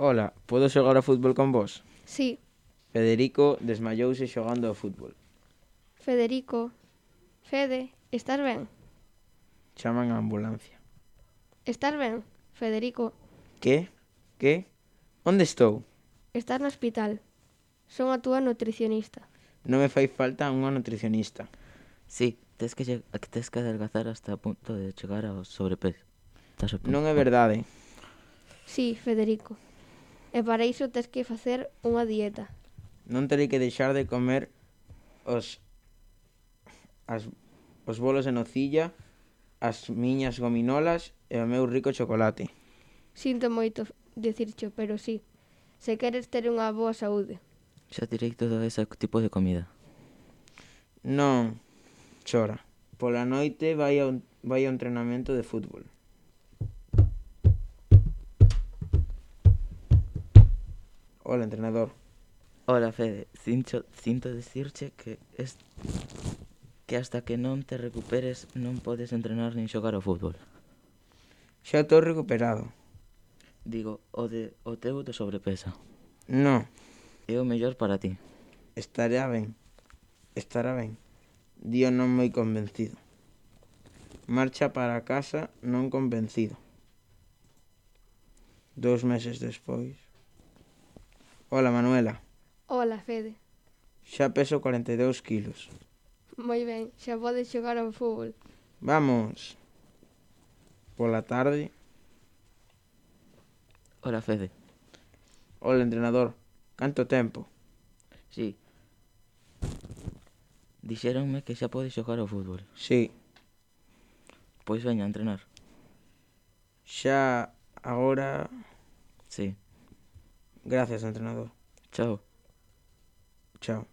Ola, podo xogar ao fútbol con vos? Sí, Federico desmayouse xogando ao fútbol. Federico. Fede, estás ben? Chaman a ambulancia. Estás ben, Federico? Que? Que? Onde estou? Estás no hospital. Son a túa nutricionista. Non me fai falta unha nutricionista. Sí, tes que adelgazar hasta o punto de chegar ao sobrepeso. Estás a punto. Non é verdade. Sí, Federico. E para iso tes que facer unha dieta. Non terei que deixar de comer os bolos de nocilla, as miñas gominolas e o meu rico chocolate. Sinto moito dicircho, pero sí. Se queres ter unha boa saúde. Xa tirei todo ese tipo de comida. Non, chora. Pola noite vai ao entrenamento de fútbol. Hola, entrenador. Hola, Fede, sinto dicirche que hasta que non te recuperes non podes entrenar nin xogar ao fútbol. Xa estou recuperado. Digo, o teu de sobrepesa. Non, É o mellor para ti. estará ben. Estará ben. Dio non moi convencido. Marcha para casa non convencido. 2 meses despois. Hola, Manuela. Hola, Fede. Xa peso 42 kilos. Moi ben, xa podes xogar ao fútbol. Vamos. Pola tarde. Hola, Fede. Hola, entrenador. Canto tempo? Sí. Dixéronme que xa podes xogar ao fútbol. Sí. Pois veña a entrenar. Xa agora. Sí. Gracias, entrenador. Chao. Chao.